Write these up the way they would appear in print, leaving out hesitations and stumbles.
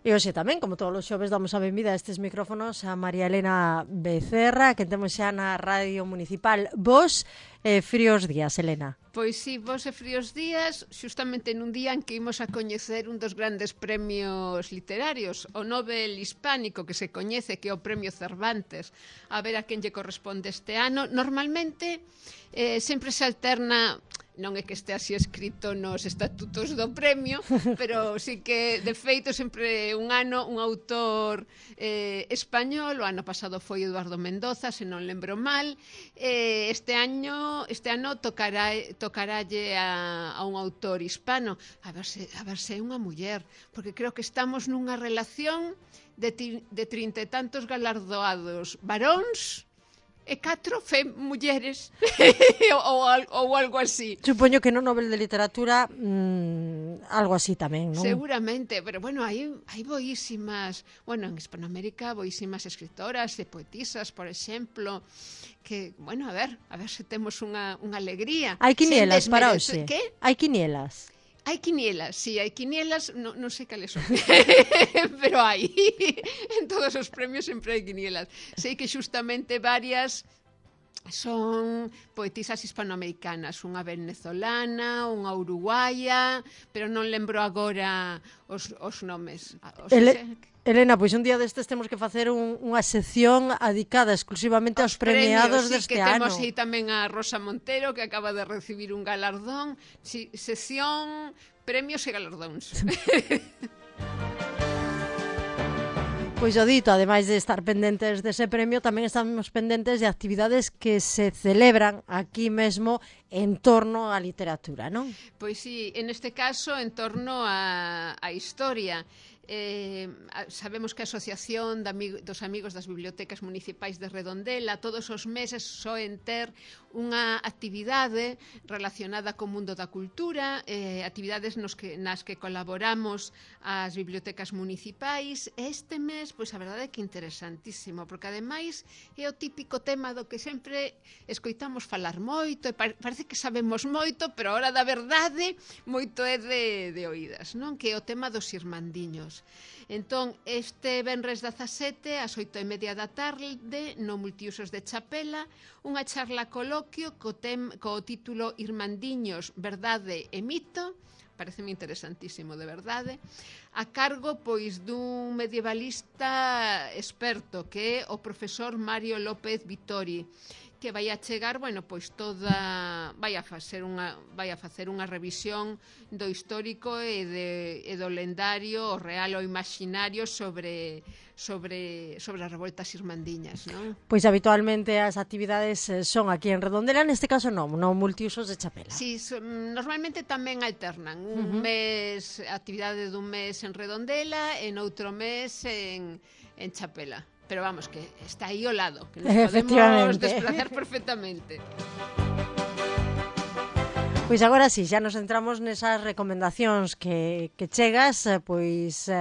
E hoxe tamén, como todos os xoves, damos a benvida a estes micrófonos a María Elena Becerra, que temos xa na Radio Municipal. Vos, fríos días, Elena. Pois sí, vos e fríos días, xustamente nun día en que imos a coñecer un dos grandes premios literarios, o Nobel Hispánico, que se coñece, que é o Premio Cervantes, a ver a quen lle corresponde este ano. Normalmente, sempre se alterna... Non é que este así escrito nos estatutos do premio, pero sí que, de feito, sempre un ano un autor español, o ano pasado foi Eduardo Mendoza, se non lembro mal, este ano tocarálle a un autor hispano, a ver se é unha muller, porque creo que estamos nunha relación de 30 e tantos galardoados varóns, e 4 mulleres ou algo así. Supoño que no Nobel de Literatura algo así tamén, non? Seguramente, pero bueno, hai boísimas, bueno, en Hispanoamérica boísimas escritoras e poetisas, por exemplo, que, bueno, a ver se temos unha alegría. Hai quinielas para hoxe? Que? Hai quinielas? Hai quinielas, sí, hai quinielas, non sei cales son, pero hai. En todos os premios sempre hai quinielas. Sei que xustamente varias son poetisas hispanoamericanas, unha venezolana, unha uruguaya, pero non lembro agora os nomes. Elena, pois un día destes temos que facer unha sección adicada exclusivamente aos premiados deste ano. Temos aí tamén a Rosa Montero, que acaba de recibir un galardón. Sección premios e galardóns. Pois o dito, ademais de estar pendentes dese premio, tamén estamos pendentes de actividades que se celebran aquí mesmo en torno á literatura, non? Pois sí, en este caso en torno á historia. Sabemos que a Asociación dos Amigos das Bibliotecas Municipais de Redondela todos os meses soen ter unha actividade relacionada co mundo da cultura, actividades nas que colaboramos as bibliotecas municipais. Este mes, pois a verdade é que interesantísimo, porque ademais é o típico tema do que sempre escoitamos falar moito, e parece que sabemos moito, pero a hora da verdade moito é de oídas, non? Que é o tema dos irmandiños. Entón, este venres 17 ás 8:30 da tarde no Multiusos de Chapela, unha charla coloquio co título Irmandiños, verdade e mito, pareceme interesantísimo, de verdade, a cargo pois dun medievalista experto que é o profesor Mario López Vittori, que vai a chegar, bueno, pois vai a facer unha revisión do histórico e do lendario, o real ou imaginario sobre as revoltas irmandiñas, non? Pois habitualmente as actividades son aquí en Redondela, neste caso non Multiusos de Chapela. Sí, normalmente tamén alternan. Un mes, actividade dun mes en Redondela e noutro mes en Chapela. Pero vamos, que está aí ao lado, que nos podemos desplazar perfectamente. Pois agora sí, xa nos entramos nesas recomendacións que chegas, pois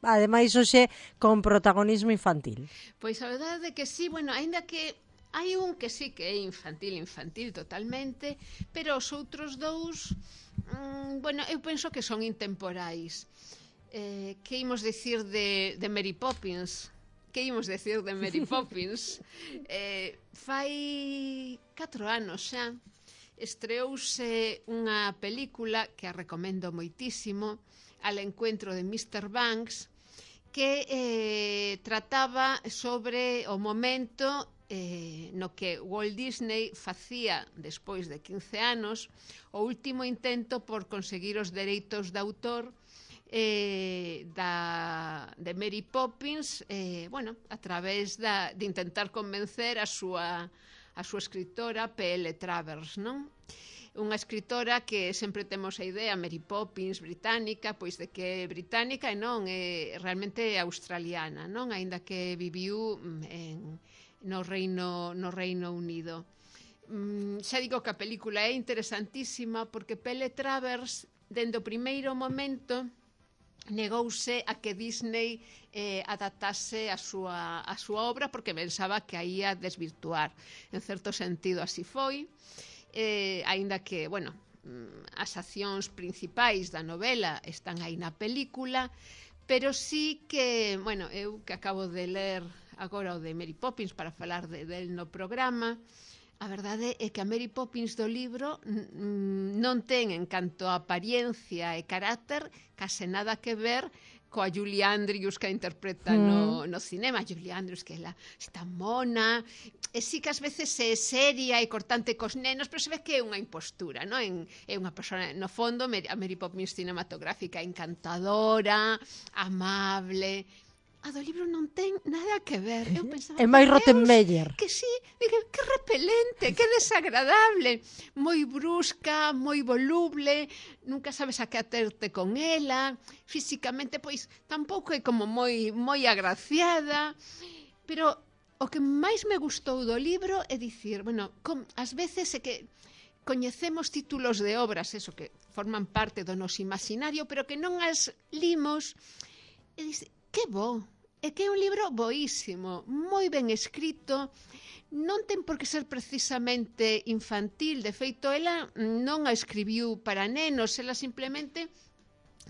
ademais hoxe con protagonismo infantil. Pois a verdade é que sí, bueno, aínda que hai un que sí que é infantil totalmente, pero os outros dous, bueno, eu penso que son intemporais. Que imos dicir de Mary Poppins? Que imos decir de Mary Poppins? Fai 4 anos xa estreouse unha película que a recomendo moitísimo, Al encuentro de Mr. Banks, que trataba sobre o momento no que Walt Disney facía, despois de 15 anos, o último intento por conseguir os dereitos de autor de Mary Poppins, bueno, a través de intentar convencer a súa escritora P.L. Travers, non? Unha escritora que sempre temos a idea, Mary Poppins, británica, pois de que é británica e non, é realmente australiana, non? Aínda que viviu no Reino Unido. Xa digo que a película é interesantísima porque P.L. Travers, dende o primeiro momento, negouse a que Disney adaptase a súa obra porque pensaba que a ia desvirtuar. En certo sentido así foi, aínda que, bueno, as accións principais da novela están aí na película, pero sí que, bueno, eu que acabo de ler agora o de Mary Poppins para falar del no programa, a verdade é que a Mary Poppins do libro non ten, en canto a apariencia e carácter, case nada que ver coa Julie Andrews que a interpreta no cinema. Julie Andrews, que ela está mona, e sí que ás veces é seria e cortante cos nenos, pero se ve que é unha impostura, non? É unha persona, no fondo, a Mary Poppins cinematográfica encantadora, amable. A do libro non ten nada que ver. Eu pensaba, é máis Rottenmeier. Que sí, que repelente, que desagradable, moi brusca, moi voluble, nunca sabes a que aterte con ela, físicamente, pois, tampouco é como moi agraciada, pero o que máis me gustou do libro é dicir, bueno, ás veces é que coñecemos títulos de obras, eso, que forman parte do noso imaginario, pero que non as limos, e dice, que bo, é que é un libro boísimo, moi ben escrito, non ten por que ser precisamente infantil, de feito, ela non a escribiu para nenos, ela simplemente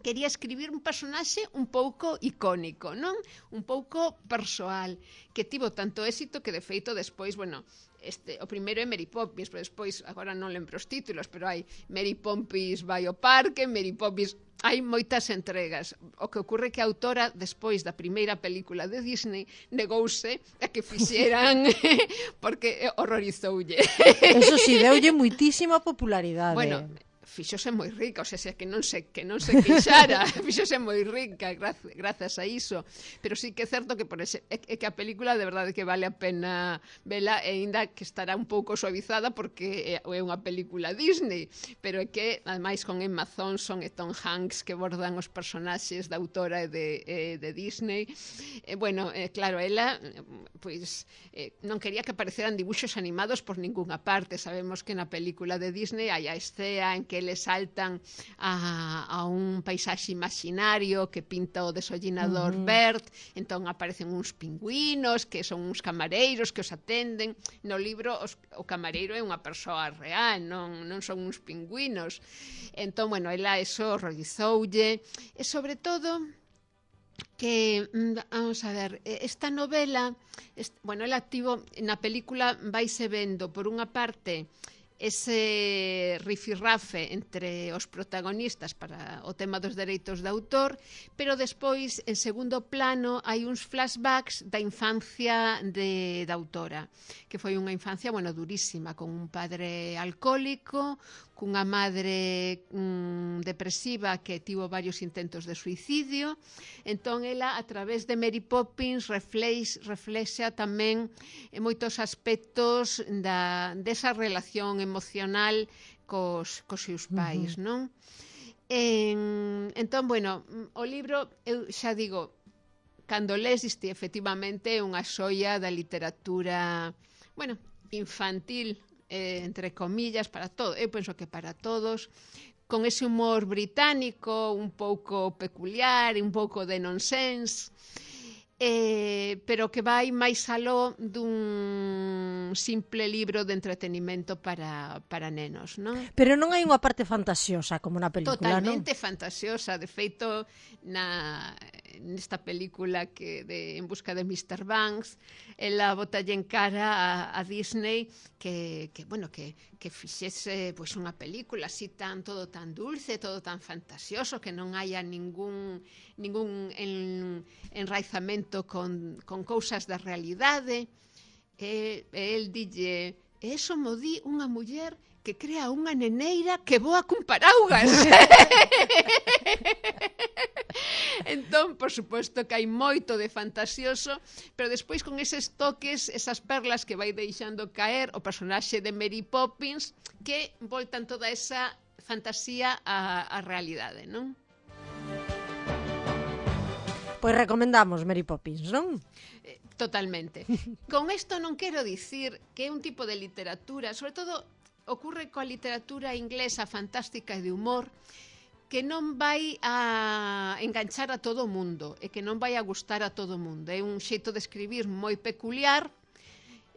quería escribir un personaxe un pouco icónico, non? Un pouco persoal, que tivo tanto éxito que, de feito, despois, bueno, o primeiro é Mary Poppins, pero despois, agora non lembro os títulos, pero hai Mary Poppins vai ao parque, Mary Poppins... Hai moitas entregas. O que ocorre que a autora, despois da primeira película de Disney, negouse a que fixeran porque horrorizoulle. Eso sí, deulle muitísima popularidade. Bueno, fixose moi rica, o sea, que non se queixara, fixose moi rica grazas a iso, pero sí que é certo que é que a película de verdade que vale a pena vela, e ainda que estará un pouco suavizada porque é unha película Disney, pero é que ademais con Emma Thompson e Tom Hanks que bordan os personaxes da autora e de Disney, bueno, claro, ela pois non quería que apareceran dibuxos animados por ningunha parte. Sabemos que na película de Disney hai a escena en que le saltan a un paisaxe imaginario que pinta o desollinador Bert, entón aparecen uns pingüinos que son uns camareiros que os atenden. No libro o camareiro é unha persoa real, non son uns pingüinos. Entón, bueno, ela eso horrorizoulle, e sobre todo que, vamos a ver, esta novela, bueno, ela tivo, na película vaise vendo por unha parte ese rifirrafe entre os protagonistas para o tema dos dereitos de autor, pero despois, en segundo plano, hai uns flashbacks da infancia da autora, que foi unha infancia, bueno, durísima, con un padre alcohólico, cunha madre depresiva que tivo varios intentos de suicidio. Entón, ela, a través de Mary Poppins, reflexa tamén moitos aspectos desa relación emocional cos seus pais, non? Entón, bueno, o libro, eu xa digo, cando les diste, efectivamente, é unha xoia da literatura, bueno, infantil, entre comillas, para todo. Eu penso que para todos, con ese humor británico un pouco peculiar, un pouco de nonsense, pero que vai máis aló dun simple libro de entretenimento para nenos, non? Pero non hai unha parte fantasiosa como na película, Totalmente non? fantasiosa. De feito, nesta película En busca de Mr. Banks, ela botalle en cara a Disney que fixese pois unha película así todo tan dulce, todo tan fantasioso, que non haya ningún enraizamento con cousas da realidade. El dille, eso mo di unha muller que crea unha neneira que voa cun paraugas. Entón, por suposto que hai moito de fantasioso, pero despois con eses toques, esas perlas que vai deixando caer o personaxe de Mary Poppins, que voltan toda esa fantasía á realidade, non? Pois recomendamos Mary Poppins, non? Totalmente. Con isto non quero dicir que é un tipo de literatura, sobre todo ocorre coa literatura inglesa fantástica e de humor, que non vai a enganchar a todo o mundo e que non vai a gustar a todo o mundo. É un xeito de escribir moi peculiar,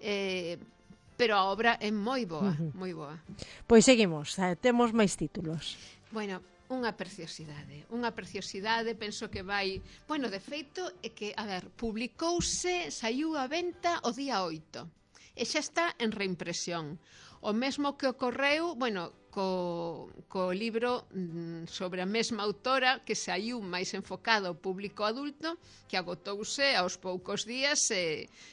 pero a obra é moi boa, moi boa. Pois seguimos, temos máis títulos. Bueno, unha preciosidade, penso que vai... Bueno, de feito, é que, a ver, publicouse, saiu a venta o día 8, e xa está en reimpresión. O mesmo que ocorreu, bueno, co libro sobre a mesma autora, que saiu máis enfocado ao público adulto, que agotouse aos poucos días.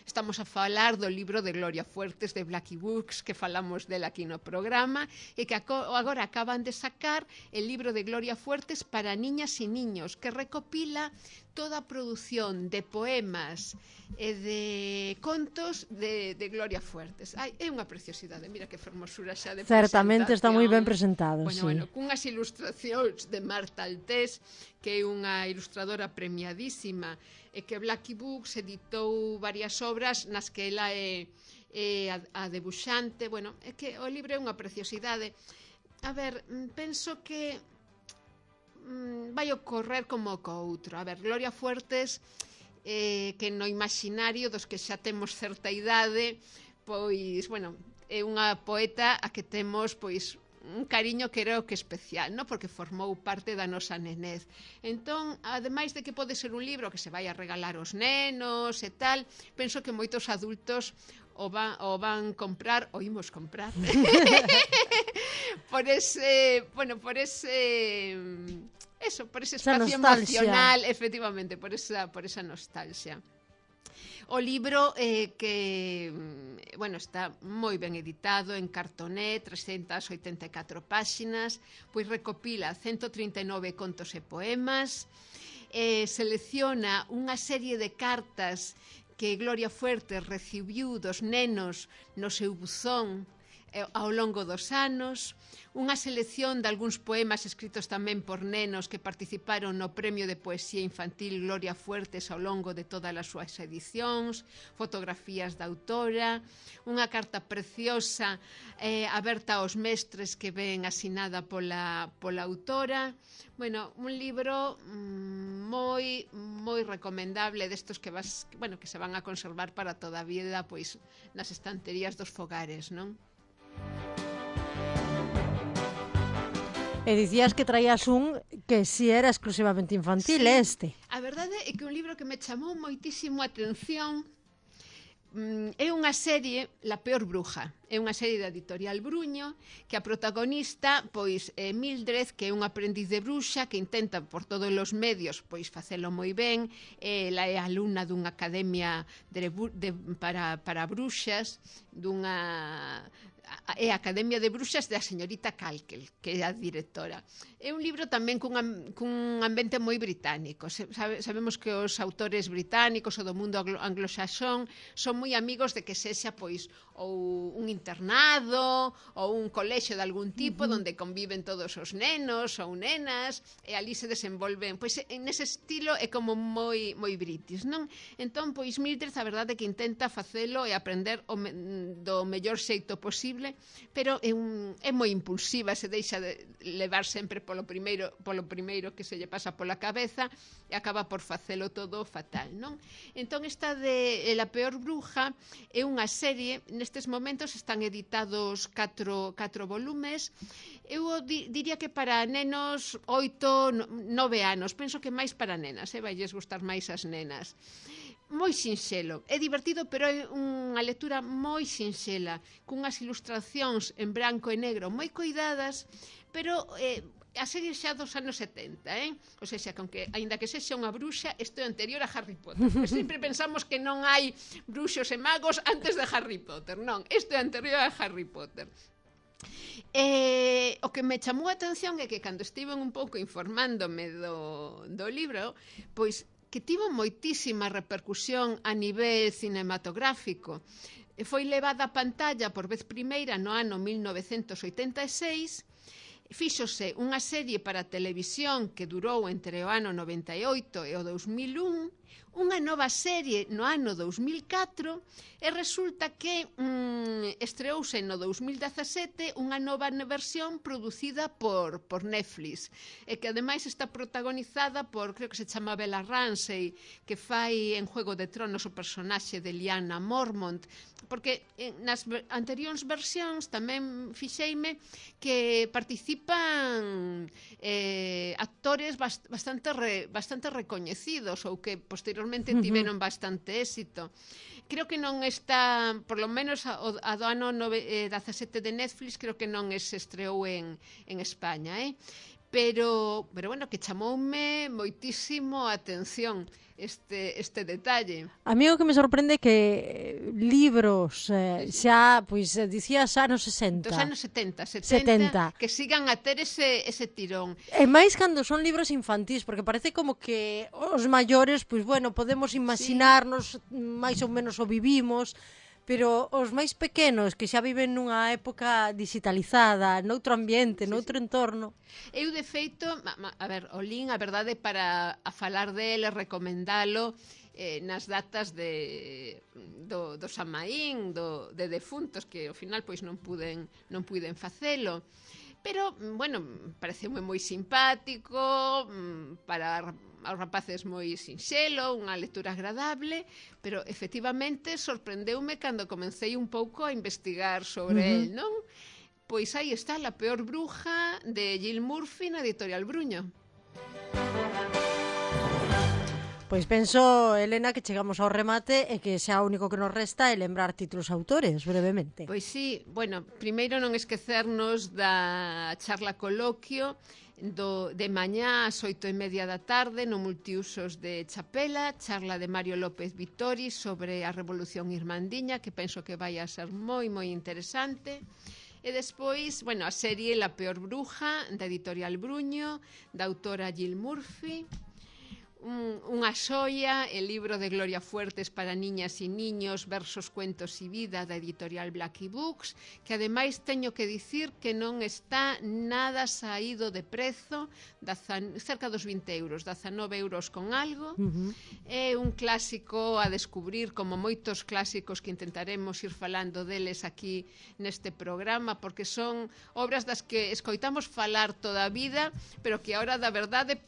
Estamos a falar do libro de Gloria Fuertes, de Blackie Books, que falamos dela aquí no programa, e que agora acaban de sacar el libro de Gloria Fuertes para niñas e niños, que recopila toda a produción de poemas e de contos de Gloria Fuertes. É unha preciosidade, mira que fermosura xa de presentación. Certamente está moi ben presentado, bueno, sí. Bueno, cunhas ilustracións de Marta Altés, que é unha ilustradora premiadísima, e que Blackie Books editou varias obras nas que ela é a debuxante. Bueno, é que o libro é unha preciosidade. A ver, penso que vai ocorrer como co outro. A ver, Gloria Fuertes, que no imaginario dos que xa temos certa idade, pois, bueno, é unha poeta a que temos, pois, un cariño que creo que especial, no? Porque formou parte da nosa nenez. Entón, ademais de que pode ser un libro que se vai a regalar aos nenos e tal, penso que moitos adultos o van comprar, o imos comprar por ese espacio emocional, efectivamente, por esa nostalgia. O libro que, bueno, está moi ben editado en cartoné, 384 páxinas, pois recopila 139 contos e poemas, selecciona unha serie de cartas que Gloria Fuertes recibiu dos nenos no seu buzón ao longo dos anos, unha selección de algúns poemas escritos tamén por nenos que participaron no Premio de Poesía Infantil Gloria Fuertes ao longo de todas as súas edicións, fotografías da autora, unha carta preciosa aberta aos mestres que ven asinada pola autora. Bueno, un libro moi recomendable destos que se van a conservar para toda a vida, pois nas estanterías dos fogares, non? E dicías que traías un que si era exclusivamente infantil, sí. Este. A verdade é que un libro que me chamou moitísimo a atención é unha serie, La peor bruja. É unha serie da editorial Bruño, que a protagonista, pois, é Mildred, que é unha aprendiz de bruxa, que intenta por todos os medios pois facelo moi ben. Ela é alumna dunha academia para bruxas, é a Academia de Bruxas da señorita Calkel, que é a directora. É un libro tamén cun ambiente moi británico. Sabemos que os autores británicos ou do mundo anglosaxón son moi amigos de que sexa pois ou un internado ou un colexio de algún tipo onde conviven todos os nenos ou nenas e ali se desenvolven. Pois nese estilo é como moi british, non? Entón, pois Mildred, a verdade é que intenta facelo e aprender do mellor xeito posible, pero é moi impulsiva, se deixa de levar sempre polo primeiro que se lle pasa pola cabeza e acaba por facelo todo fatal, non? Entón, esta de La peor bruja é unha serie, nestes momentos están editados 4 volumes. Eu diría que para nenos 8, 9 anos, penso que máis para nenas, vailles gustar máis as nenas. Moi sinxelo, é divertido, pero é unha lectura moi sinxela, cunhas ilustracións en branco e negro moi coidadas, pero a serie xa dos anos 70, ou seja, que aínda que sexa unha bruxa, isto é anterior a Harry Potter. Sempre pensamos que non hai bruxos e magos antes de Harry Potter, non, isto é anterior a Harry Potter. O que me chamou a atención é que cando estiven un pouco informándome do libro, pois que tivo moitísima repercusión a nivel cinematográfico. Foi levada a pantalla por vez primeira no ano 1986, fíxose unha serie para televisión que durou entre o ano 98 e o 2001, unha nova serie no ano 2004 e resulta que estreouse no 2017 unha nova versión producida por Netflix e que ademais está protagonizada por, creo que se chama Bella Ramsey, que fai en Juego de Tronos o personaxe de Lyanna Mormont, porque nas anteriores versións tamén fixeime que participa participan actores bastante recoñecidos ou que posteriormente tiveron bastante éxito. Creo que non está, por lo menos a do ano 17 de Netflix, creo que non se estreou en España, pero bueno, que chamoume moitísimo a atención este detalle. A mí o que me sorprende é que libros xa, pois, dicías anos 60. Dos anos 70, que sigan a ter ese tirón. E máis cando son libros infantís, porque parece como que os maiores, pois, bueno, podemos imaginarnos, máis ou menos o vivimos, pero os máis pequenos que xa viven nunha época digitalizada, noutro ambiente, noutro entorno. Eu, de feito, a ver, o lin, a verdade, para a falar dele, recomendalo nas datas do Samaín, de defuntos, que ao final pois non puiden facelo. Pero, bueno, pareceume moi simpático, para aos rapaces moi sinxelo, unha lectura agradable, pero efectivamente sorprendeume cando comecei un pouco a investigar sobre el, non? Pois aí está La peor bruja de Jill Murphy na editorial Bruño. Pois penso, Elena, que chegamos ao remate e que xa o único que nos resta é lembrar títulos autores, brevemente. Pois sí, bueno, primeiro non esquecernos da charla coloquio de mañá ás 8:30 da tarde no Multiusos de Chapela, charla de Mario López Vittori sobre a Revolución Irmandiña, que penso que vai a ser moi interesante. E despois, bueno, a serie La peor bruja, da editorial Bruño, da autora Jill Murphy. Unha xoia, el libro de Gloria Fuertes para niñas e niños, versos, cuentos e vida, da editorial Blackie Books, que ademais teño que dicir que non está nada saído de prezo, cerca dos 20 euros, 19 euros con algo. É un clásico a descubrir, como moitos clásicos que intentaremos ir falando deles aquí neste programa, porque son obras das que escoitamos falar toda a vida, pero que a hora da verdade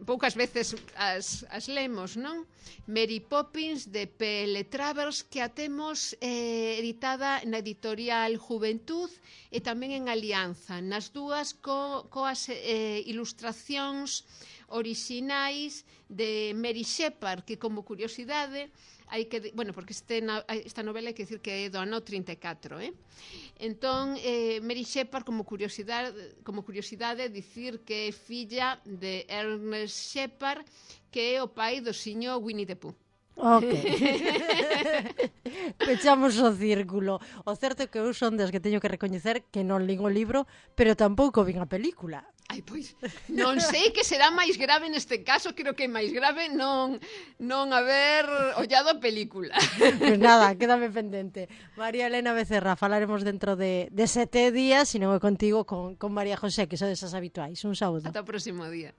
poucas veces as lemos, non? Mary Poppins, de P.L. Travers, que a temos editada na editorial Juventud e tamén en Alianza, nas dúas coas ilustracións orixinais de Mary Shepard, que como curiosidade porque esta novela hai que decir que é do ano 34, Entón, Mary Shepard, como curiosidade, dicir que é filla de Ernest Shepard, que é o pai do siño Winnie the Pooh. Ok. Pechamos o círculo. O certo é que eu son das que teño que recoñecer que non lín o libro, pero tampouco vin a película. Ai, pois, non sei que será máis grave neste caso, creo que é máis grave non haber ollado a película. Pois nada, quédame pendente. María Elena Becerra, falaremos dentro de 7 días, se non é contigo, con María José, que sodes as habituais. Un saúdo. Ata o próximo día.